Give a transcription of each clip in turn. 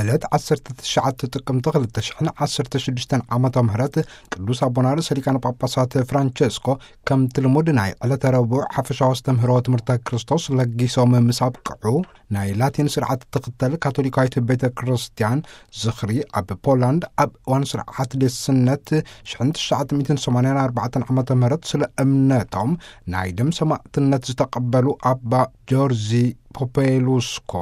ዕለት ዓሰርተ ትሽዓተ ጥቅምቲ ክልተ ሽሕን ዓሰርተ ሽዱሽተን ዓመተ ምህረት ቅዱስ ኣቦና ርእሰ ሊቃነ ጳጳሳት ፍራንቸስኮ ከምቲ ልሙድ ናይ ዕለተ ረቡዕ ሓፈሻዊ ኣስተምህሮ ትምህርተ ክርስቶስ ለጊሶም ምስ ኣብቅዑ፣ ናይ ላቲን ስርዓት ትኽተል ካቶሊካዊት ቤተ ክርስቲያን ዝኽሪ ኣብ ፖላንድ ኣብ እዋን ስርዓት ዴስነት ሽሕን ትሽዓተ ሚእትን ሰማንያን ኣርባዕተን ዓመተ ምህረት ስለ እምነቶም ናይ ደም ሰማዕትነት ዝተቐበሉ ኣባ ጆርዚ ፖፔሉስኮ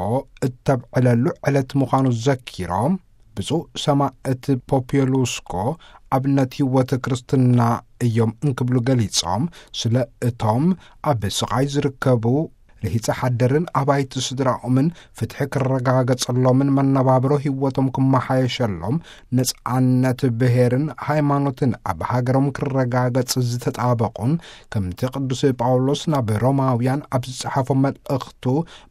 እተብዕለሉ ዕለት ምዃኑ ዘኪሮም፣ ብፁዕ ሰማዕት ፖፔሉስኮ ኣብነት ህይወት ክርስትና እዮም እንክብሉ ገሊጾም፣ ስለ እቶም ኣብ ስቓይ ዝርከቡ ርሂጸ ሓደርን ኣባይቲ ስድራኦምን ፍትሒ ክረጋገጸሎምን መነባብሮ ህይወቶም ክመሓየሸሎም፣ ነጻነት ብሄርን ሃይማኖትን ኣብ ሃገሮም ክረጋገጽ ዝተጣበቑን፣ ከምቲ ቅዱስ ጳውሎስ ናብ ሮማውያን ኣብ ዝጸሓፎ መልእኽቱ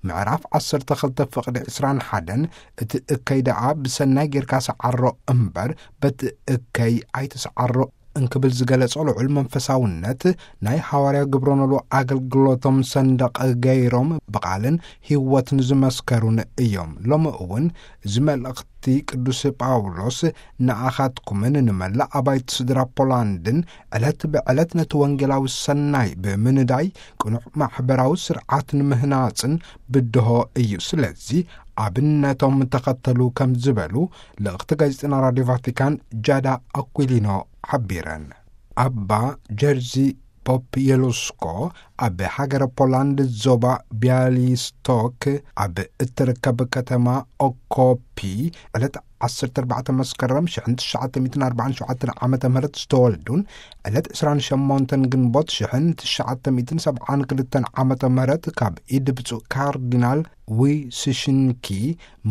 ምዕራፍ ዓሰርተ ክልተ ፍቕዲ ዕስራን ሓደን፣ እቲ እከይ ደኣ ብሰናይ ጌርካ ሰዓሮ እምበር በቲ እከይ ኣይትሰዓሮ እንክብል ዝገለጾ ልዑል መንፈሳውነት ናይ ሃዋርያ ግብረ ኖሎ ኣገልግሎቶም ሰንደቕ ገይሮም ብቓልን ህይወትን ዝመስከሩን እዮም። ሎሚ እውን እዚ መልእኽቲ ቅዱስ ጳውሎስ ንኣኻትኩምን ንመላእ ኣባይቲ ስድራ ፖላንድን ዕለት ብዕለት ነቲ ወንጌላዊ ሰናይ ብምንዳይ ቅኑዕ ማሕበራዊ ስርዓት ንምህናጽን ብድሆ እዩ። ስለዚ ኣብነቶም ተኸተሉ ከም ዝበሉ ልእኽቲ ጋዜጠና ራድዮ ቫቲካን ጃዳ ኣኩሊኖ ሓቢረን። ኣባ ጀርዚ ፖፕ የሉስኮ ኣብ ሃገረ ፖላንድ ዞባ ቢያሊስቶክ ኣብ እትርከብ ከተማ ኦኮፒ ዕለት ዓሰርተ ኣርባዕተ መስከረም ሽሕን ትሽዓተ ሚእትን ኣርባዓን ሸውዓተን ዓመተ ምህረት ዝተወልዱን ዕለት ዕስራን ሸሞንተን ግንቦት ሽሕን ትሽዓተ ሚእትን ሰብዓን ክልተን ዓመተ ምህረት ካብ ኢድ ብፁዕ ካርዲናል ዊስሽንኪ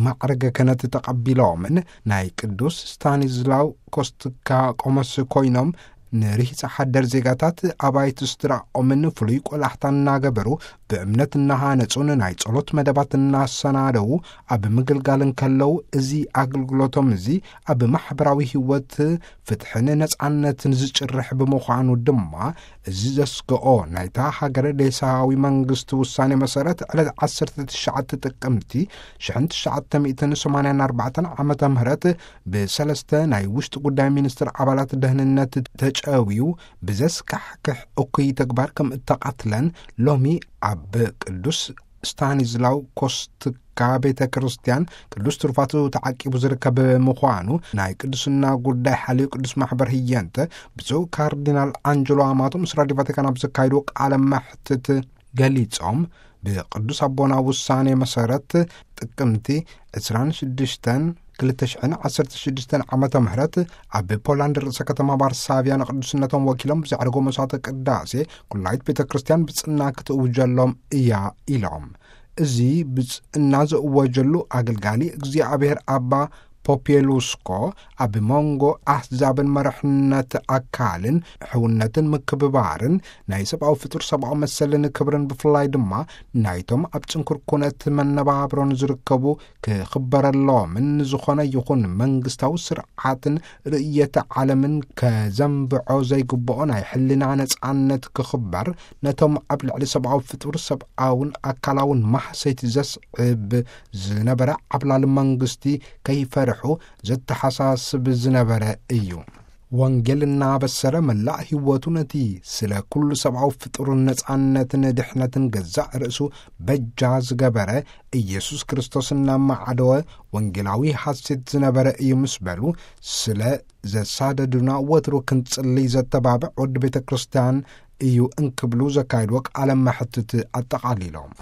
ማዕረገ ክህነት ተቐቢሎምን ናይ ቅዱስ ስታኒዝላው ኮስትካ ቆሞስ ኮይኖም ንርሂጸ ሓደር ዜጋታት ኣባይቲ ስድራኦምን ፍሉይ ቆላሕታ እናገበሩ ብእምነት እናሃነጹን ናይ ጸሎት መደባት እናሰናደዉ ኣብ ምግልጋል እንከለዉ፣ እዚ ኣገልግሎቶም እዚ ኣብ ማሕበራዊ ህይወት ፍትሕን ነጻነትን ዝጭርሕ ብምዃኑ ድማ፣ እዚ ዘስግኦ ናይታ ሃገር ዴሳዊ መንግስቲ ውሳኔ መሰረት ዕለት ዓሰርተ ትሽዓተ ጥቅምቲ ሽሕን ትሽዓተ ሚእትን ሰማንያን ኣርባዕተን ዓመተ ምህረት ብሰለስተ ናይ ውሽጢ ጉዳይ ሚኒስትር ኣባላት ደህንነት ተጨውዩ ብዘስካሕክሕ እኩይ ተግባር ከም እተቐትለን ሎሚ ኣብ ቅዱስ ስታኒዝላው ኮስትካ ቤተ ክርስቲያን ቅዱስ ትሩፋቱ ተዓቂቡ ዝርከብ ምዃኑ ናይ ቅዱስና ጉዳይ ሓልዩ ቅዱስ ማሕበር ህየንተ ብፁዕ ካርዲናል ኣንጀሎ ኣማቶ ምስ ራድዮ ቫቲካን ኣብ ዘካይድዎ ቃለ መሕትት ገሊጾም፣ ብቅዱስ ኣቦና ውሳኔ መሰረት ጥቅምቲ ዕስራን ሽዱሽተን ክልተ ሽሕን ዓሰርተ ሽዱሽተን ዓመተ ምህረት ኣብ ፖላንድ ርእሰ ከተማ ዋርሳቪያ ንቅዱስነቶም ወኪሎም ብዘዕረጎ መስዋዕተ ቅዳሴ ኩላይት ቤተ ክርስቲያን ብጽና ክትእውጀሎም እያ ኢሎም። እዚ ብጽና ዘእወጀሉ ኣገልጋሊ እግዚኣብሔር ኣባ ፖፔሉስኮ ኣብ መንጎ ኣህዛብን መርሕነት ኣካልን ሕውነትን ምክብባርን ናይ ሰብኣዊ ፍጡር ሰብኣዊ መሰልን ክብርን ብፍላይ ድማ ናይቶም ኣብ ጽንኩር ኩነት መነባብሮን ዝርከቡ ክኽበረሎምን ዝኾነ ይኹን መንግስታዊ ስርዓትን ርእየተ ዓለምን ከዘንብዖ ዘይግብኦ ናይ ሕልና ነጻነት ክኽበር፣ ነቶም ኣብ ልዕሊ ሰብኣዊ ፍጡር ሰብኣውን ኣካላውን ማህሰይቲ ዘስዕብ ዝነበረ ዓብላሊ መንግስቲ ከይፈርሑ ዘተሓሳስብ ዝነበረ እዩ። ወንጌል እናበሰረ መላእ ህይወቱ ነቲ ስለ ኩሉ ሰብኣዊ ፍጡርን ነጻነትን ድሕነትን ገዛእ ርእሱ በጃ ዝገበረ ኢየሱስ ክርስቶስ እናማዓደወ ወንጌላዊ ሐሴት ዝነበረ እዩ ምስ በሉ፣ ስለ ዘሳደዱና ወትሩ ክንጽልይ ዘተባብዕ ወዲ ቤተ ክርስቲያን እዩ እንክብሉ ዘካየድዎ ቃለ መሕትት ኣጠቓሊሎም።